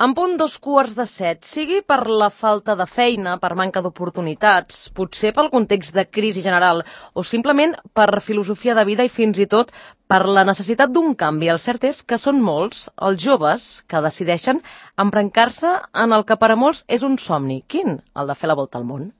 En punt 6:45, sigui per la falta de feina, per manca d'oportunitats, potser pel context de crisi general o simplement per filosofia de vida i fins i tot per la necessitat d'un canvi. El cert és que són molts els joves que decideixen embrancar-se en el que per a molts és un somni. Quin? El de fer la volta al món.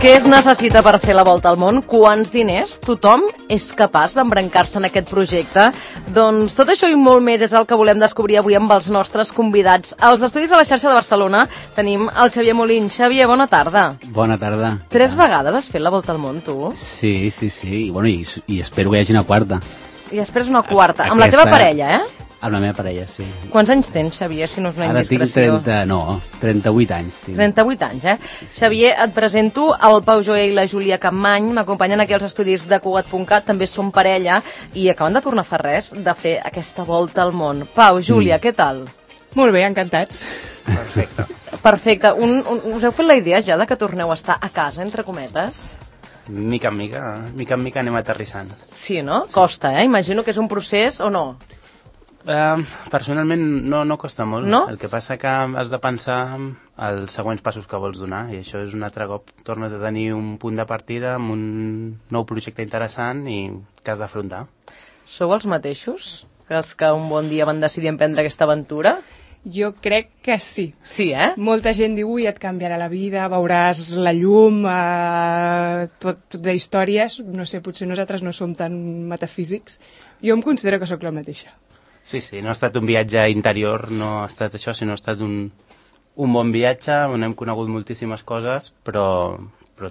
Què es necessita per fer la volta al món? Quants diners? Tothom és capaç d'embrancar-se en aquest projecte? Doncs tot això i molt més és el que volem descobrir avui amb els nostres convidats. Als estudis de la xarxa de Barcelona tenim el Xavier Molins. Xavier, bona tarda. Bona tarda. 3 vegades has fet la volta al món, tu? Sí. I espero que hi hagi una quarta. I després una quarta. Amb la teva parella, eh? Amb la meva parella, sí. Quants anys tens, Xavier, si no és una indiscreció? Ara tinc 38 anys. Tinc. 38 anys, eh? Sí. Xavier, et presento el Pau Joé i la Júlia Campmany. M'acompanyen aquí als estudis de Cugat.cat. També són parella i acaben de tornar fa res de fer aquesta volta al món. Pau, Júlia, què tal? Molt bé, encantats. Perfecte. Us heu fet la idea ja de que torneu a estar a casa, entre cometes? Mica en mica anem aterrissant. Sí, no? Sí. Costa, eh? Imagino que és un procés o no? Personalment no costa molt. No? El que passa que has de pensar els següents passos que vols donar i això és un altre cop. Tornes a tenir un punt de partida amb un nou projecte interessant i que has d'afrontar. Sou els mateixos que els que un bon dia van decidir emprendre aquesta aventura? Jo crec que sí. Sí, eh? Molta gent diu, ui, et canviarà la vida, veuràs la llum, tot d'històries. No sé, potser nosaltres no som tan metafísics. Jo em considero que sóc la mateixa. Sí, no ha estat un viatge interior, no ha estat això, sinó ha estat un bon viatge on hem conegut moltíssimes coses, però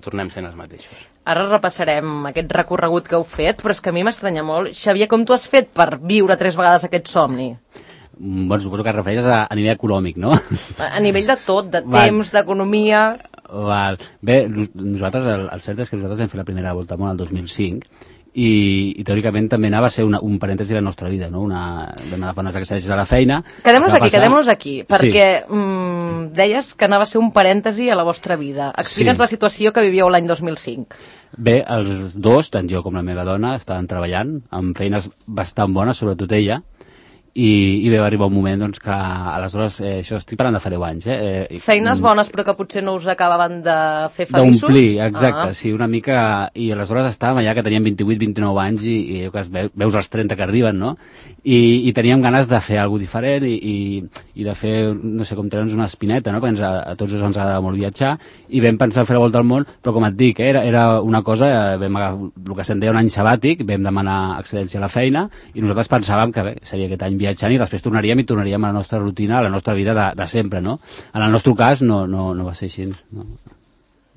tornem sent els mateixos. Ara repassarem aquest recorregut que heu fet, però és que a mi m'estranya molt. Xavier, com tu has fet per viure 3 vegades aquest somni? Bueno, suposo que et refereixes a nivell econòmic, no? A nivell de tot, de temps, d'economia... Val. Bé, nosaltres, el cert és que nosaltres vam fer la primera volta al món el 2005 i teòricament també anava a ser un parèntesi de la nostra vida, no? Vam anar a fer unes excel·lències a la feina. Quedem-nos aquí, perquè deies que anava a ser un parèntesi a la vostra vida. Explica'ns la situació que vivíeu l'any 2005. Bé, els dos, tant jo com la meva dona, estaven treballant amb feines bastant bones, sobretot ella, i va arribar un moment doncs, que aleshores, això estic parlant de fa 10 anys. Feines bones però que potser no us acabaven de fer feliços? D'omplir, exacte, sí, una mica, i aleshores estàvem allà que teníem 28-29 anys i veus els 30 que arriben, no? I teníem ganes de fer alguna cosa diferent i de fer, no sé, com treure'ns una espineta, no? Perquè a tots ens agrada molt viatjar i vam pensar fer la volta al món, però com et dic, era una cosa, vam agafar el que se'n deia un any sabàtic, vam demanar excel·lència a la feina i nosaltres pensàvem que bé, seria aquest any viatjant i després tornaríem a la nostra rutina, a la nostra vida de sempre, no? En el nostre cas no va ser així.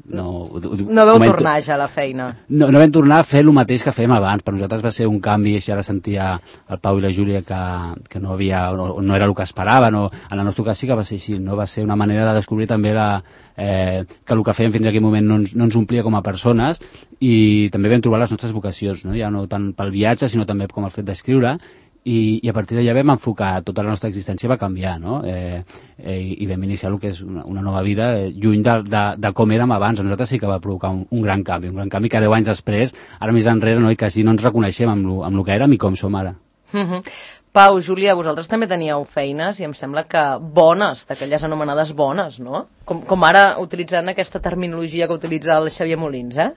No vau tornar ja a la feina? No vam tornar a fer el mateix que fèiem abans. Per nosaltres va ser un canvi, així ara sentia el Pau i la Júlia que no era el que esperaven, en el nostre cas sí que va ser així, no? Va ser una manera de descobrir també que el que fèiem fins a aquell moment no ens omplia com a persones i també vam trobar les nostres vocacions, no? Ja no tant pel viatge sinó també com el fet d'escriure i a partir d'allà vam enfocar, tota la nostra existència va canviar, no? I vam iniciar el que és una nova vida lluny de com érem abans. A nosaltres sí que va provocar un gran canvi que 10 anys després, ara més enrere, no? I quasi no ens reconeixem amb el que érem i com som ara. Pau, Júlia, vosaltres també teníeu feines i em sembla que bones, d'aquelles anomenades bones, no? Com ara utilitzant aquesta terminologia que utilitza el Xavier Molins, eh?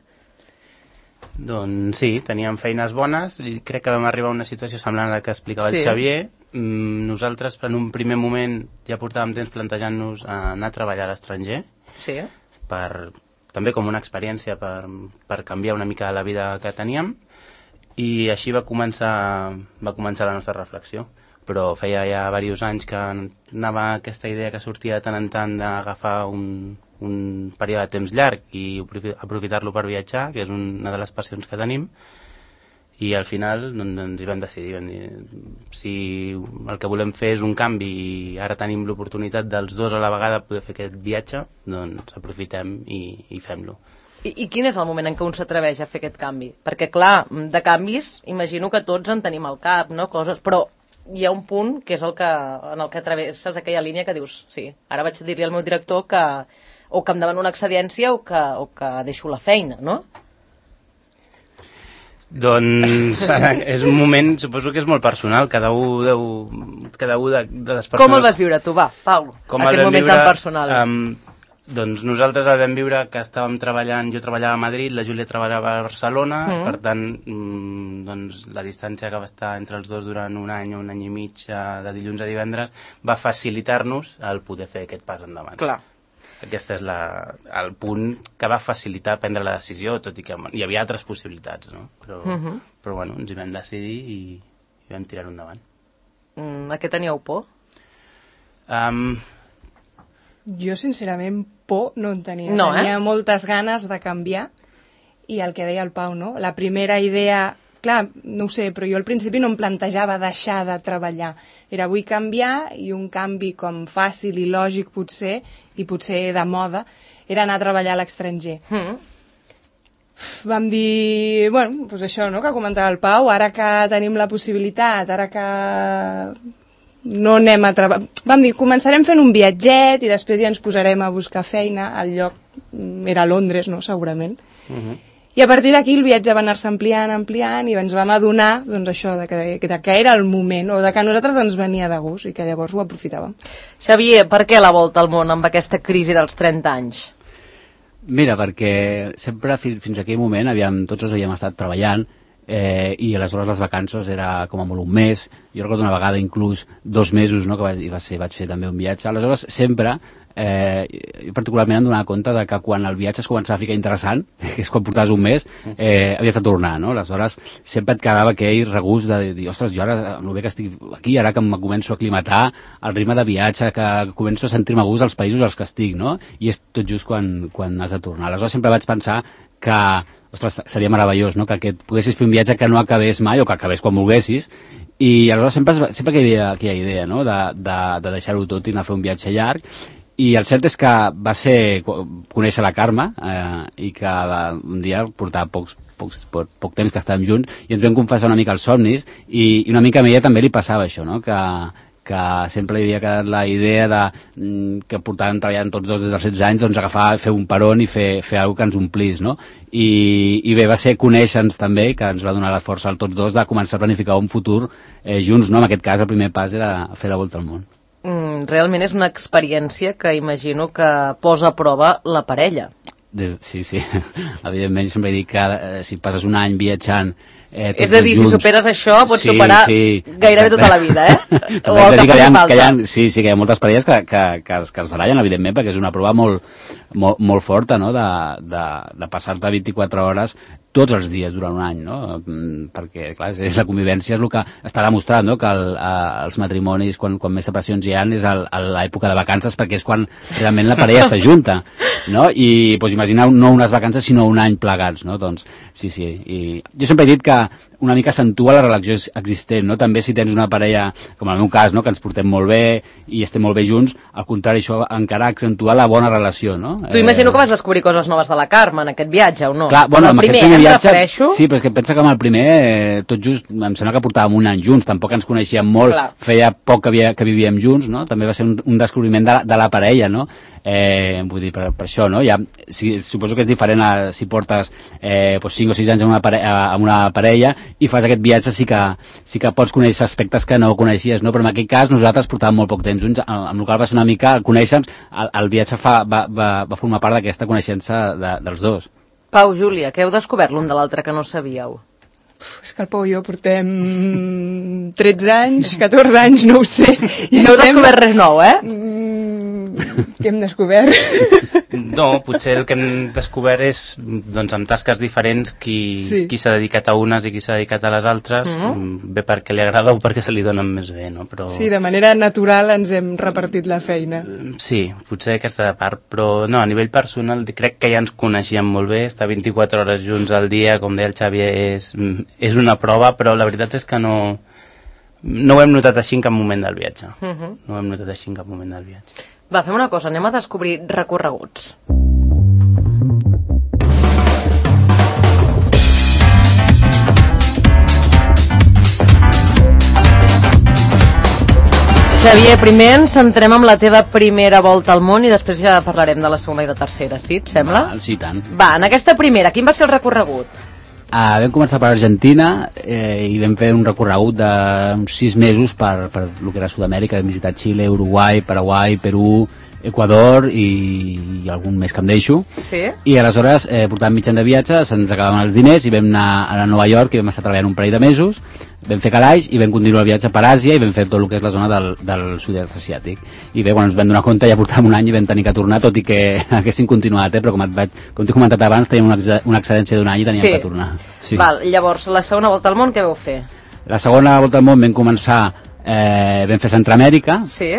Doncs sí, teníem feines bones i crec que vam arribar a una situació semblant a la que explicava el Xavier. Nosaltres en un primer moment ja portàvem temps plantejant-nos anar a treballar a l'estranger, també com una experiència per canviar una mica la vida que teníem i així va començar la nostra reflexió. Però feia ja diversos anys que anava aquesta idea que sortia de tant en tant d'agafar un període de temps llarg i aprofitar-lo per viatjar, que és una de les passions que tenim, i al final ens hi vam decidir, vam dir, si el que volem fer és un canvi i ara tenim l'oportunitat dels dos a la vegada poder fer aquest viatge, doncs aprofitem i fem-lo. I quin és el moment en què un s'atreveix a fer aquest canvi? Perquè clar, de canvis imagino que tots en tenim al cap, no? Coses, però hi ha un punt que és en el que travesses aquella línia que dius, sí, ara vaig dir-li al meu director que o que em demano una excedència o que deixo la feina, no? Doncs és un moment, suposo que és molt personal, cada un de les persones... Com el vas viure tu, va, Pau, aquest moment tan personal? Doncs nosaltres el vam viure que estàvem treballant, jo treballava a Madrid, la Júlia treballava a Barcelona, per tant, doncs, la distància que va estar entre els dos durant un any i mig, de dilluns a divendres, va facilitar-nos el poder fer aquest pas endavant. Clar. Aquest és el punt que va facilitar prendre la decisió, tot i que hi havia altres possibilitats, no? Però bueno, ens hi vam decidir i vam tirar-ho endavant. A què teníeu por? Jo, sincerament, por no en tenia. No, tenia moltes ganes de canviar i el que deia el Pau, no? La primera idea... Clar, no ho sé, però jo al principi no em plantejava deixar de treballar. Era vull canviar i un canvi com fàcil i lògic potser, i potser de moda, era anar a treballar a l'estranger. Vam dir, bueno, doncs això, no?, que comentava el Pau, ara que tenim la possibilitat, ara que no anem a treballar... Vam dir, començarem fent un viatget i després ja ens posarem a buscar feina. El lloc era Londres, no?, segurament. I a partir d'aquí el viatge va anar-se ampliant i ens vam adonar, doncs això, de que era el moment, o de que a nosaltres ens venia de gust i que llavors ho aprofitàvem. Xavier, per què la volta al món amb aquesta crisi dels 30 anys? Mira, perquè sempre fins a aquell moment tots havíem estat treballant i aleshores les vacances era com a molt un mes. Jo recordo una vegada inclús 2 mesos, no?, que vaig fer també un viatge. Aleshores sempre jo particularment em donava compte de que quan el viatge es començava a ficar interessant, que és quan portaves un mes, havies de tornar, no? Aleshores sempre et quedava aquell regust de dir, ostres, jo ara, amb el bé que estic aquí, ara que me començo a aclimatar al ritme de viatge, que començo a sentir-me a gust als països als que estic, no? I és tot just quan has de tornar. Aleshores sempre vaig pensar que ostres, seria meravellós, no?, que poguessis fer un viatge que no acabés mai o que acabés quan volguessis, i aleshores sempre que hi havia aquella idea, no?, de deixar-ho tot i anar a fer un viatge llarg. I el cert és que va ser conèixer la Carme i que un dia portava poc temps que estàvem junts i ens vam confessar una mica els somnis i una mica a ella també li passava això, no?, que sempre li havia quedat la idea que portàvem treballant tots dos des dels 16 anys, doncs agafar, fer un peron i fer alguna que ens omplís, no? I bé, va ser conèixer-nos també, que ens va donar la força a tots dos de començar a planificar un futur junts, no? En aquest cas el primer pas era fer la volta al món. Realment és una experiència que imagino que posa a prova la parella. Sí, evidentment jo sempre dic que si passes un any viatjant és a dir, si superes això pots superar gairebé tota la vida, o el que faci falta. Sí, que hi ha moltes parelles que es barallen, evidentment, perquè és una prova molt forta, no?, de passar-te 24 hores tots els dies durant un any, no? Perquè, clar, és la convivència, és el que està demostrat, no?, que els matrimonis, quan més separacions hi ha, és a l'època de vacances, perquè és quan realment la parella està junta, no? I doncs, imagineu no unes vacances, sinó un any plegats, no? Doncs, sí, i jo sempre he dit que una mica accentua la relació existent, no? També si tens una parella, com en el meu cas, no?, que ens portem molt bé i estem molt bé junts, al contrari, això encara accentua la bona relació, no? Tu imagino que vas descobrir coses noves de la Carme en aquest viatge, o no? Clar, bueno, amb el primer viatge, refereixo... Sí, però és que pensa que amb el primer, tot just, em sembla que portàvem un any junts, tampoc ens coneixíem molt, clar. Feia poc que vivíem junts, no? També va ser un descobriment de la parella, no? Vull dir, per això, no? Suposo que és diferent si portes 5 o 6 anys amb una parella i fas aquest viatge, sí que pots conèixer aspectes que no coneixies, no? Però en aquest cas nosaltres portàvem molt poc temps junts, amb el qual va ser una mica conèixer-nos, el viatge va formar part d'aquesta coneixença dels dos. Pau, Júlia, què heu descobert l'un de l'altre que no sabíeu? És que el Pau i jo portem 13 anys, 14 anys, no ho sé. No heu descobert res nou, Què hem descobert? No, potser el que hem descobert és, doncs, amb tasques diferents, qui s'ha dedicat a unes i qui s'ha dedicat a les altres, bé perquè li agrada o perquè se li donen més bé, no? Però... Sí, de manera natural ens hem repartit la feina. Sí, potser aquesta part, però no, a nivell personal crec que ja ens coneixíem molt bé, estar 24 hores junts al dia, com deia el Xavier, és una prova, però la veritat és que no ho hem notat així en cap moment del viatge. No ho hem notat així en cap moment del viatge. Va, fem una cosa, anem a descobrir recorreguts. Xavier, primer ens centrem amb la teva primera volta al món i després ja parlarem de la segona i la tercera, sí? Et sembla? Sí, tant. Va, en aquesta primera, quin va ser el recorregut? Vam començar per Argentina i vam fer un recorregut d'uns 6 mesos per el que era Sud-amèrica. Vam visitar Xile, Uruguai, Paraguai, Perú, Equador i algun més que em deixo. Sí. I aleshores, portant mitjans de viatge, se'ns acabaven els diners i vam anar a Nova York i vam estar treballant un parell de mesos, vam fer calaix i vam continuar el viatge per Àsia i vam fer tot el que és la zona del sud-est asiàtic. I bé, quan ens vam donar compte ja portàvem un any i vam tenir que tornar, tot i que haguéssim continuat, però com t'he comentat abans, teníem una excedència d'un any i teníem que tornar. Sí. Val, llavors, la segona volta al món, què vau fer? La segona volta al món vam començar, vam fer Centroamèrica, sí.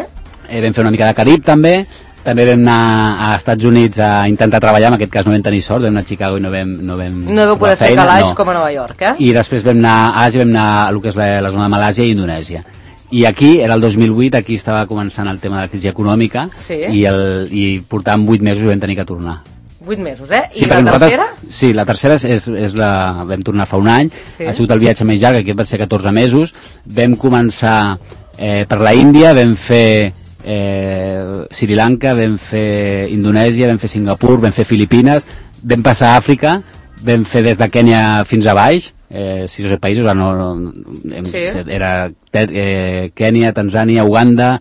Vam fer una mica de Carib també vam anar a Estats Units a intentar treballar, en aquest cas no vam tenir sort, vam anar a Chicago i no vau poder fer calaix com a Nova York, eh? I després vam anar a Àsia, vam anar a el que és la zona de Malàsia i Indonèsia. I aquí, era el 2008, aquí estava començant el tema de la crisi econòmica, sí. I portàvem 8 mesos i vam tenir que tornar. 8 mesos, eh? I sí, la tercera? Sí, la tercera vam tornar fa un any, sí. Ha sigut el viatge més llarg, aquest va ser 14 mesos, vam començar per la Índia, vam fer Sri Lanka, vam fer Indonèsia, vam fer Singapur, vam fer Filipines, vam passar a Àfrica, vam fer des de Kènia fins a baix, 6 o 7 països, sí. Era Kènia, Tanzània, Uganda,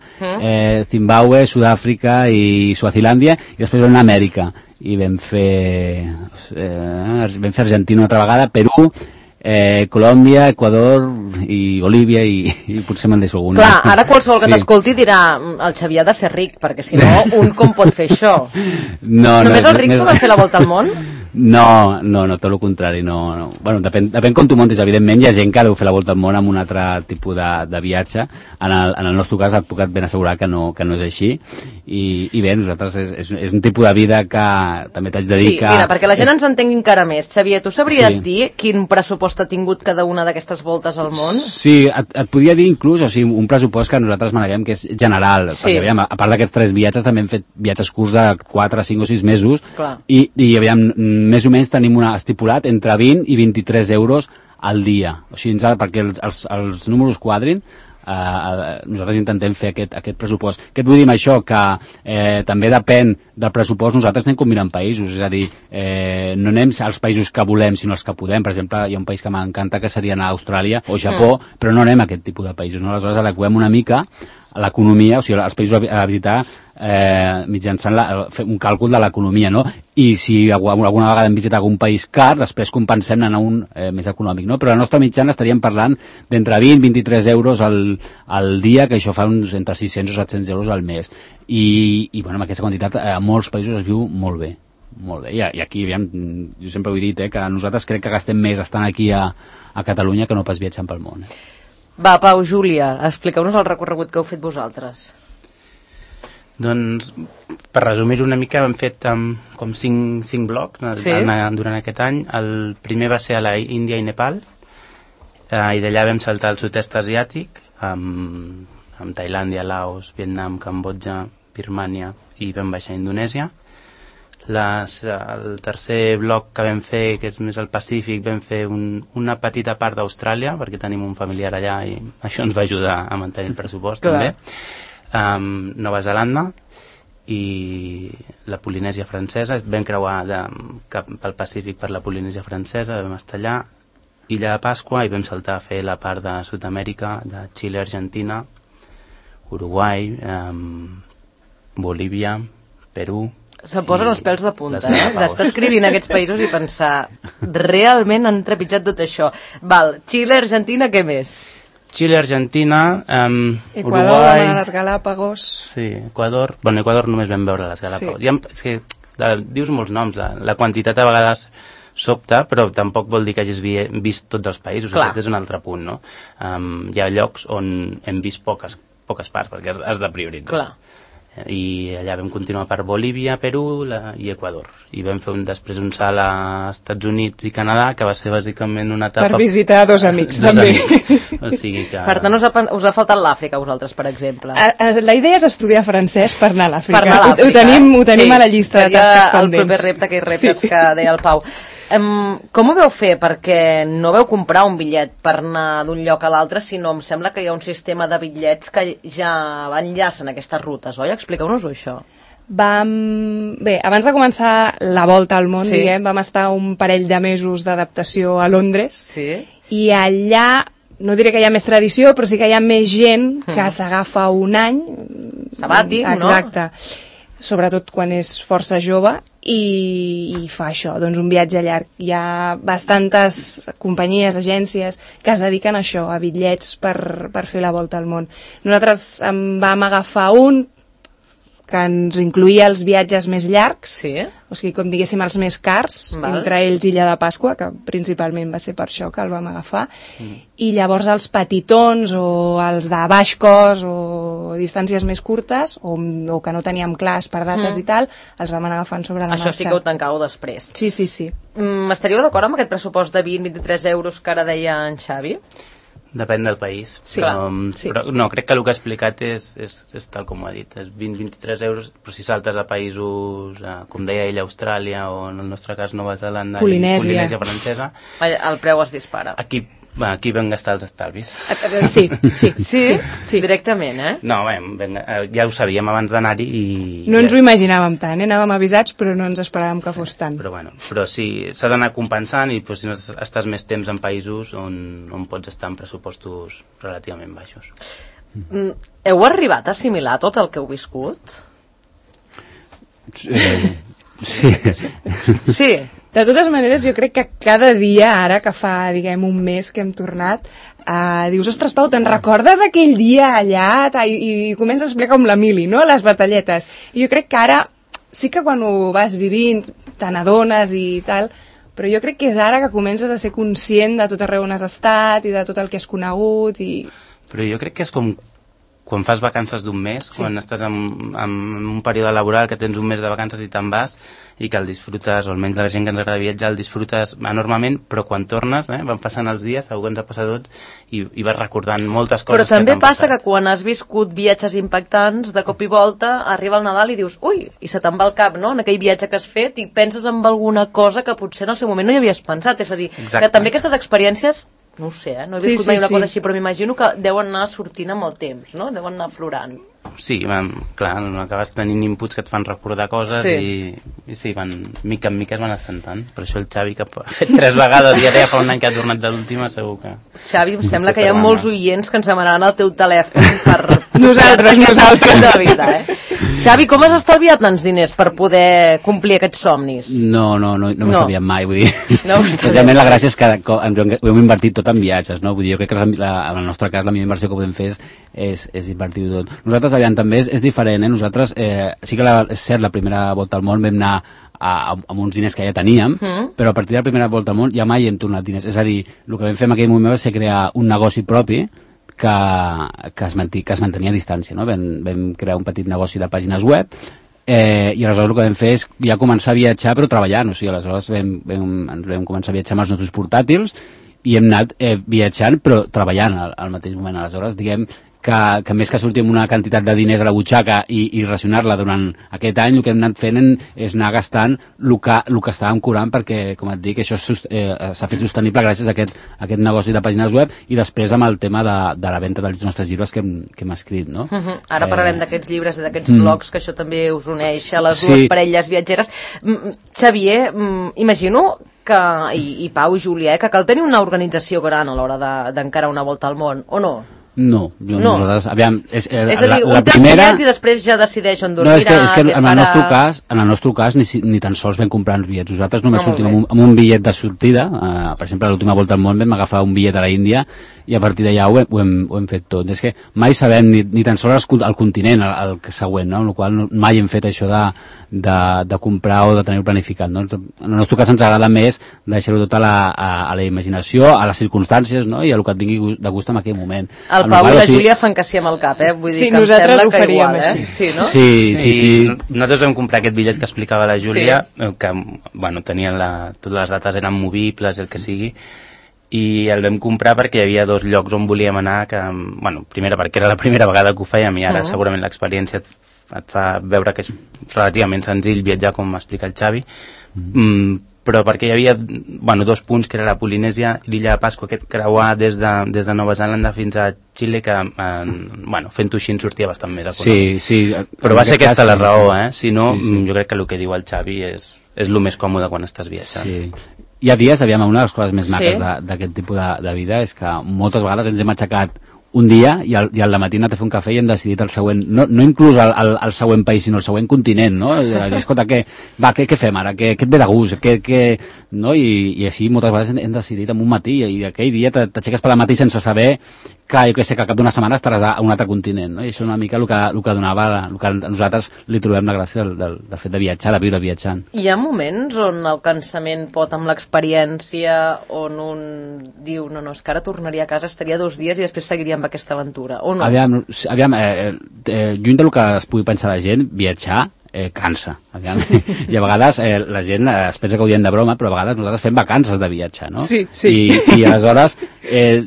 Zimbabue, Sud-àfrica i Suazilàndia, i després vam anar a Amèrica i vam fer Argentina una altra vegada, Perú, Colòmbia, Equador i Bolívia i potser me'n deixo alguna. Clar, ara qualsevol que t'escolti dirà el Xavier ha de ser ric, perquè si no, un com pot fer això? Només els rics poden fer la volta al món? No, tot el contrari, no. Bueno, depèn com tu montis, evidentment hi ha gent que deu fer la volta al món amb un altre tipus de viatge. En el nostre cas et puc ben assegurar que no és així i bé, nosaltres és un tipus de vida que també t'haig de dir que... Sí, mira, perquè la gent ens entengui encara més. Xavier, tu sabries dir quin pressupost ha tingut cada una d'aquestes voltes al món? Sí, et podria dir inclús, o sigui, un pressupost que nosaltres maneguem que és general, perquè aviam, a part d'aquests 3 viatges també hem fet viatges curts de 4, 5 o 6 mesos. Clar. I aviam, més o menys tenim estipulat entre 20 i 23 euros al dia. O sigui, perquè els números quadrin, nosaltres intentem fer aquest pressupost. Què et vull dir amb això? Que també depèn del pressupost, nosaltres anem combinant països, és a dir, no anem als països que volem, sinó als que podem. Per exemple, hi ha un país que m'encanta que seria anar a Austràlia o Japó, però no anem a aquest tipus de països, no? Aleshores adequem una mica a l'economia, o sigui, els països a visitar mitjançant fer un càlcul de l'economia, no? I si alguna vegada hem visitat algun país car, després compensem anar a un més econòmic, no? Però la nostra mitjana estaríem parlant d'entre 20 i 23 euros al dia, que això fa uns entre 600 o 700 euros al mes. I bueno, amb aquesta quantitat a molts països es viu molt bé. Molt bé, i aquí, aviam, jo sempre ho he dit, que nosaltres crec que gastem més estant aquí a Catalunya que no pas viatjant pel món. Va, Pau, Júlia, expliqueu-nos el recorregut que heu fet vosaltres. Doncs, per resumir una mica, hem fet com 5 blocs durant aquest any. El primer va ser a la Índia i Nepal, i d'allà vam saltar al sud-est asiàtic, amb Tailàndia, Laos, Vietnam, Cambodja, Birmània, i vam baixar a Indonèsia. El tercer bloc que vam fer, que és més al Pacífic, vam fer una petita part d'Austràlia, perquè tenim un familiar allà i això ens va ajudar a mantenir el pressupost. Clar. També. Nova Zelanda i la Polinèsia francesa. Vam creuar cap al Pacífic per la Polinèsia francesa, vam estar allà, Illa de Pasqua, i vam saltar a fer la part de Sud-amèrica, de Xile, Argentina, Uruguai, Bolívia, Perú. Se'm posen els pèls de punta, d'estar escrivint aquests països i pensar realment han trepitjat tot això. Val, Xile, Argentina, què més? Xile, Argentina, Equador, Uruguai... les Galàpagos... Sí, Equador... Bueno, Equador només vam veure les Galàpagos. Sí. És que dius molts noms, la quantitat a vegades sobta, però tampoc vol dir que hagis vist tots els països. Aquest és un altre punt, no? Hi ha llocs on hem vist poques parts, perquè has de prioritzar. Clar. I allà vam continuar per Bolívia, Perú i Equador, i vam fer després un salt a Estats Units i Canadà, que va ser bàsicament una etapa... Per visitar dos amics, també. O sigui que... Per tant, us ha faltat l'Àfrica, a vosaltres, per exemple. La idea és estudiar francès per anar a l'Àfrica. Per anar a l'Àfrica. Ho tenim a la llista de tasques pendents. El proper repte, aquells reptes que deia el Pau. Com ho veu fer? Perquè no veu comprar un bitllet per anar d'un lloc a l'altre, sinó em sembla que hi ha un sistema de bitllets que ja enllacen aquestes rutes, oi? Expliqueu-nos-ho, això. Bé, abans de començar la volta al món, diguem, vam estar un parell de mesos d'adaptació a Londres, i allà, no diré que hi ha més tradició, però sí que hi ha més gent que s'agafa un any sabàtic, no? Exacte, sobretot quan és força jove, i fa això, doncs un viatge llarg. Hi ha bastantes companyies, agències que es dediquen a això, a bitllets per fer la volta al món. Nosaltres en vam agafar un que ens incluïa els viatges més llargs, o sigui, com diguéssim, els més cars, entre ells Illa de Pasqua, que principalment va ser per això que el vam agafar, i llavors els petitons o els de baix cost o distàncies més curtes, o que no teníem clars per dates i tal, els vam anar agafant sobre la marxa. Això sí que ho tancàveu després. Sí. Estaríeu d'acord amb aquest pressupost de 20-23 euros que ara deia en Xavi? Depèn del país, però no, crec que el que ha explicat és tal com ho ha dit, és 20-23 euros, però si saltes a països, com deia ell, Austràlia, o en el nostre cas Nova Zelanda, Polinèsia Francesa, el preu es dispara. Aquí vam gastar els estalvis. Sí, directament, eh? No, ja ho sabíem abans d'anar-hi i... No ens ho imaginàvem tant, anàvem avisats, però no ens esperàvem que fos tant. Però sí, s'ha d'anar compensant i si no estàs més temps en països on pots estar en pressupostos relativament baixos. Heu arribat a assimilar tot el que heu viscut? Sí. De totes maneres, jo crec que cada dia, ara que fa, diguem, un mes que hem tornat, dius, ostres, Pau, te'n recordes aquell dia allà? I comença a explicar com la Mili, no?, les batalletes. I jo crec que ara, sí que quan ho vas vivint, te n'adones i tal, però jo crec que és ara que comences a ser conscient de tot arreu on has estat i de tot el que has conegut i... Però jo crec que és com quan fas vacances d'un mes, quan estàs en un període laboral que tens un mes de vacances i te'n vas i que el disfrutes, o almenys la gent que ens agrada viatjar el disfrutes enormement, però quan tornes van passant els dies, segur que ens ha passat tots i vas recordant moltes coses. Però també passa que quan has viscut viatges impactants, de cop i volta arriba el Nadal i dius, ui, i se te'n va el cap, no?, en aquell viatge que has fet, i penses en alguna cosa que potser en el seu moment no hi havies pensat, és a dir, que també aquestes experiències, no ho sé, no he viscut mai una cosa així, però m'imagino que deuen anar sortint amb el temps, no?, deuen anar aflorant. Sí, clar, acabes tenint inputs que et fan recordar coses i sí, mica en mica es van assentant. Per això el Xavi, que ha fet 3 vegades i ara ja fa un any que ha tornat de l'última, segur que... Xavi, em sembla que hi ha molts oients que ens demanaran el teu telèfon per... Nosaltres. De vida, Xavi, com has estalviat tants diners per poder complir aquests somnis? No m'ho sabíem mai, vull dir. Precisament la gràcia és que ho hem invertit tot en viatges, no? Vull dir, jo crec que en el nostre cas la millor inversió que podem fer és invertir-ho tot. Nosaltres, aviam, també és diferent, Nosaltres, sí que és cert, la primera volta al món vam anar amb uns diners que ja teníem, però a partir de la primera volta al món ja mai hem tornat diners. És a dir, el que vam fer en aquell moment va ser crear un negoci propi que es mantenia a distància, no? Vam crear un petit negoci de pàgines web i aleshores el que vam fer és ja començar a viatjar però treballant, o sigui, aleshores vam començar a viatjar amb els nostres portàtils i hem anat viatjant però treballant al mateix moment. Aleshores, diguem que més que sortir amb una quantitat de diners a la butxaca i racionar-la durant aquest any, el que hem anat fent és anar gastant el que estàvem cobrant, perquè, com et dic, això s'ha fet sostenible gràcies a aquest negoci de pàgines web i després amb el tema de la venda dels nostres llibres que hem escrit, no? Ara parlarem d'aquests llibres i d'aquests blogs, que això també us uneix a les dues parelles viatgeres. Xavier, imagino que, i Pau i Júlia, que cal tenir una organització gran a l'hora d'encarar una volta al món, o no? No. Nosaltres, aviam, és a dir, un té els bitllets i després ja decideix on dormirà, és que en el nostre cas ni tan sols vam comprar uns bitllets. Nosaltres només sortim amb un bitllet de sortida. Per exemple, a l'última volta al món vam agafar un bitllet a la Índia i a partir d'allà ho hem fet tot. És que mai sabem ni tan sols el continent, el següent, no? Amb la qual cosa mai hem fet això de comprar o de tenir-ho planificat, no? En el nostre cas ens agrada més deixar-ho tot a la imaginació, a les circumstàncies, no? I a el que et vingui de gust en aquell moment. El Pau i la Júlia fan que sí amb el cap, Vull dir que em sembla que igual, Sí, no? Sí. Nosaltres vam comprar aquest bitllet que explicava la Júlia, que, tenien totes les dates eren movibles, el que sigui, i el vam comprar perquè hi havia 2 llocs on volíem anar, que, primera perquè era la primera vegada que ho fèiem i ara segurament l'experiència et fa veure que és relativament senzill viatjar, com m'explica el Xavi, però perquè hi havia dos punts, que era la Polinèsia i l'illa de Pasqua, aquest creuar des de Nova Zelanda fins a Xile, que fent-ho així en sortia bastant més econòmic. Sí. Però va ser aquesta la raó, si no, jo crec que el que diu el Xavi és el més còmode quan estàs viatjant. Sí. Hi ha dies, una de les coses més maques d'aquest tipus de vida és que moltes vegades ens hem aixecat un dia i al dematí hem anat a fer un cafè i hem decidit el següent, no inclús el següent país, sinó el següent continent, no? Escolta, què fem ara? Què et ve de gust? No? I així moltes vegades hem decidit en un matí i aquell dia t'aixeques per la matí sense saber que al cap d'una setmana estaràs a un altre continent, no? I això és una mica el que donava, el que nosaltres li trobem la gràcia del fet de viatjar, de viure viatjant. Hi ha moments on el cansament pot, amb l'experiència, on un diu, no, és que ara tornaria a casa, estaria 2 dies i després seguiria amb aquesta aventura, o no? Aviam, lluny del que es pugui pensar la gent, viatjar cansa. I a vegades la gent es pensa que ho diem de broma, però a vegades nosaltres fem vacances de viatge, no? Sí. I aleshores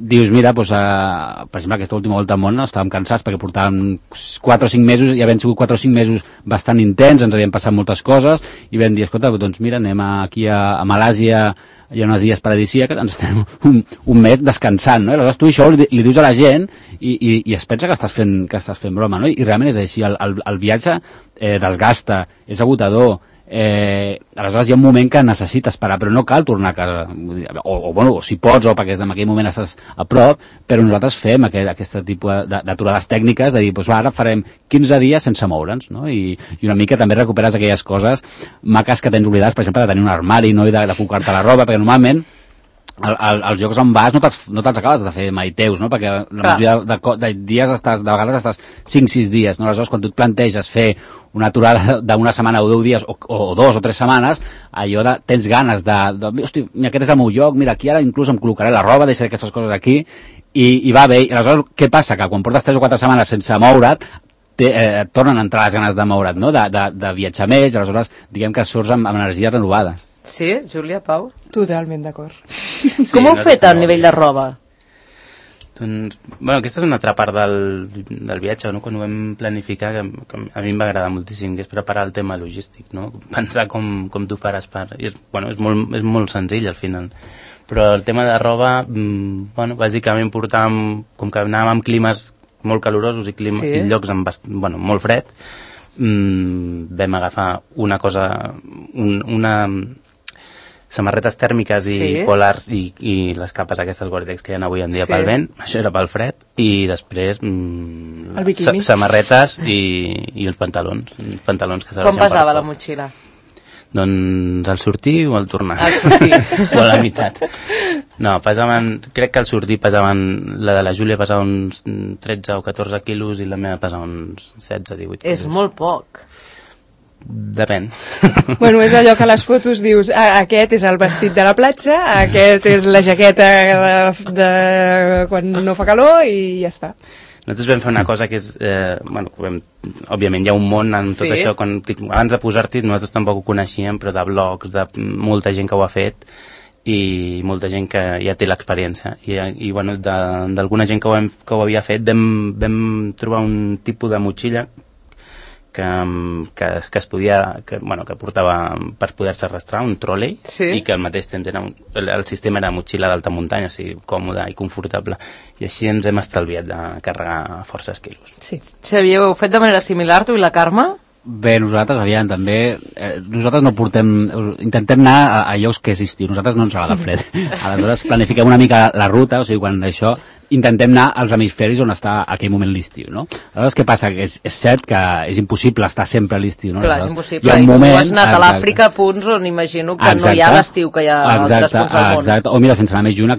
dius, mira, per exemple, aquesta última volta al món estàvem cansats perquè portàvem 4 o 5 mesos, i havent sigut 4 o 5 mesos bastant intens, ens havien passat moltes coses, i vam dir, escolta, doncs mira, anem aquí a Malàsia, hi ha unes illes paradisíaques, ens estem un mes descansant, no? I aleshores tu això li dius a la gent i es pensa que estàs fent broma, no? I realment és així, el viatge desgasta, és agotador, aleshores hi ha un moment que necessites parar, però no cal tornar a casa, o si pots, o perquè en aquell moment estàs a prop, però nosaltres fem aquest tipus d'aturades tècniques, de dir, doncs ara farem 15 dies sense moure'ns, no? I una mica també recuperes aquelles coses maques que tens oblidades, per exemple, de tenir un armari, no? I de col·locar-te la roba, perquè normalment els llocs on vas no te'ls acabes de fer mai teus, no? Perquè la majoria de dies de vegades estàs 5-6 dies, no? Aleshores, quan tu et planteges fer una aturada d'una setmana o 10 dies o 2 o 3 setmanes, allò tens ganes hosti, mira, aquest és el meu lloc, mira, aquí ara inclús em col·locaré la roba, deixaré aquestes coses aquí, i va bé. I aleshores, què passa? Que quan portes 3 o 4 setmanes sense moure't, et tornen a entrar les ganes de moure't, no? De viatjar més, i aleshores diguem que surts amb energies renovades. Sí, Júlia, Pau? Totalment d'acord. Com ho heu fet a nivell de roba? Doncs, aquesta és una altra part del viatge, no? Quan ho vam planificar, que a mi em va agradar moltíssim, que és preparar el tema logístic, no? Pensar com tu faràs és molt senzill al final, però el tema de roba, bàsicament portàvem, com que anàvem amb climes molt calorosos i llocs molt fred, vam agafar una samarretes tèrmiques i polars i les capes aquestes Gore-Tex que hi ha avui en dia pel vent, això era pel fred, i després samarretes i els pantalons que serveixen. Com pesava la motxilla? Doncs al sortir o al tornar? Al sortir. O a la meitat. No, crec que al sortir la de la Júlia pesava uns 13 o 14 quilos i la meva pesava uns 16-18 quilos. És molt poc. Depèn. Bueno, és allò que a les fotos dius, aquest és el vestit de la platja, aquest és la jaqueta de quan no fa calor, i ja està. Nosaltres vam fer una cosa que és, òbviament hi ha un món en tot això, abans de posar-t'hi nosaltres tampoc ho coneixíem, però de blogs, de molta gent que ho ha fet, i molta gent que ja té l'experiència, i d'alguna gent que ho havia fet vam trobar un tipus de motxilla que es podia, que portava per poder-se arrastrar, un tròlei, i que al mateix temps el sistema era motxilla d'alta muntanya, o sigui, còmode i confortable, i així ens hem estalviat de carregar forces quilos. Sí. Xavier, ho heu fet de manera similar, tu i la Carme? Bé, nosaltres nosaltres no intentem anar a llocs que és estiu, nosaltres no ens agrada fred, aleshores planifiquem una mica la ruta, o sigui, quan això intentem anar als hemisferis on està a aquell moment l'estiu, no? Aleshores, què passa? Que és cert que és impossible estar sempre a l'estiu, no? Clar, és impossible, i tu has anat a l'Àfrica a punts on imagino que no hi ha l'estiu que hi ha a altres punts del món. Exacte, o mira, sense anar més lluny,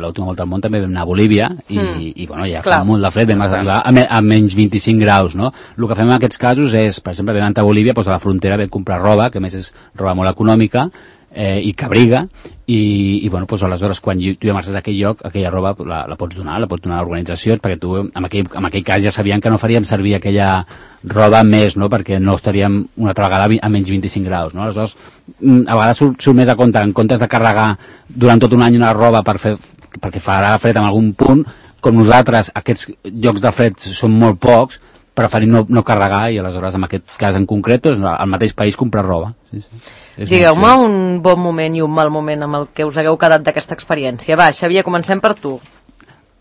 l'última volta al món també vam anar a Bolívia, i ja fa molt de fred, vam arribar a menys 25 graus, no? El que fem en aquests casos és, per exemple, vam anar a Bolívia, doncs a la frontera vam comprar roba, que a més és roba molt econòmica, i que abriga, i aleshores quan tu ja marxes d'aquell lloc, aquella roba la pots donar a organitzacions, perquè tu en aquell cas ja sabien que no faríem servir aquella roba més, no? Perquè no estaríem una altra vegada a menys 25 graus, no? Aleshores, a vegades surt més a compte, en comptes de carregar durant tot un any una roba perquè farà fred en algun punt, com nosaltres aquests llocs de fred són molt pocs, preferim no carregar, i aleshores en aquest cas en concret al mateix país comprar roba. Sí. Digueu-me un bon moment i un mal moment amb el que us hagueu quedat d'aquesta experiència. Va, Xavier, comencem per tu.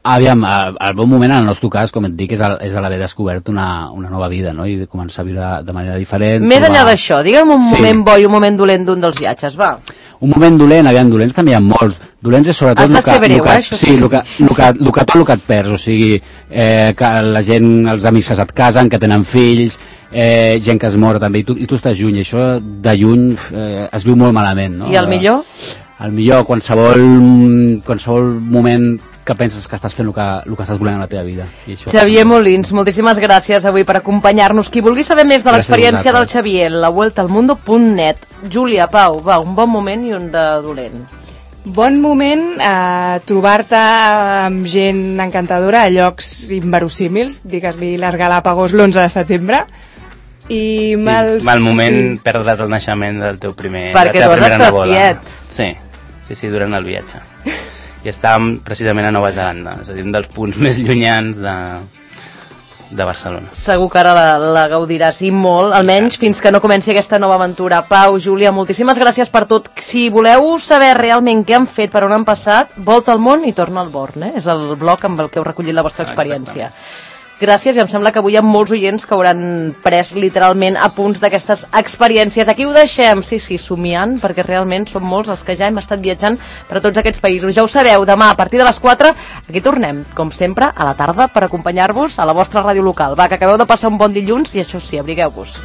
Aviam, el bon moment en el nostre cas, com et dic, és l'haver descobert una nova vida, no? I de començar a viure de manera diferent. Més enllà d'això, digue'm un moment bo i un moment dolent d'un dels viatges, va. Un moment dolent, aviam, dolents també hi ha molts. Dolents és sobretot... Has de ser breu, això sí. Sí, el que et perds, o sigui, que la gent, els amics que se't casen, que tenen fills, gent que es mor també, i tu estàs lluny, i això de lluny es viu molt malament, no? I el millor? El millor, qualsevol moment que penses que estàs fent el que estàs volent a la teva vida. I això... Xavier Molins, moltíssimes gràcies avui per acompanyar-nos. Qui vulgui saber més de l'experiència del Xavier, lavueltalmundo.net. Júlia, Pau, va, un bon moment i un de dolent. Bon moment trobar-te amb gent encantadora a llocs inverosímils, digues-li les Galàpagos l'11 de setembre. I mal moment perdre el naixement del teu primer... Perquè tu has estat quiet. Sí, durant el viatge. I estàvem precisament a Nova Zelanda, és a dir, un dels punts més llunyans de Barcelona. Segur que ara la gaudiràs i molt, almenys fins que no comenci aquesta nova aventura. Pau, Júlia, moltíssimes gràcies per tot. Si voleu saber realment què han fet, per on han passat, volta al món i torna al Born, és el blog amb el que heu recollit la vostra experiència. Exactament. Gràcies, i em sembla que avui hi ha molts oients que hauran pres literalment apunts d'aquestes experiències. Aquí ho deixem, sí, somiant, perquè realment som molts els que ja hem estat viatjant per a tots aquests països. Ja ho sabeu, demà a partir de les 4 aquí tornem, com sempre, a la tarda per acompanyar-vos a la vostra ràdio local. Va, que acabeu de passar un bon dilluns i això sí, abrigueu-vos.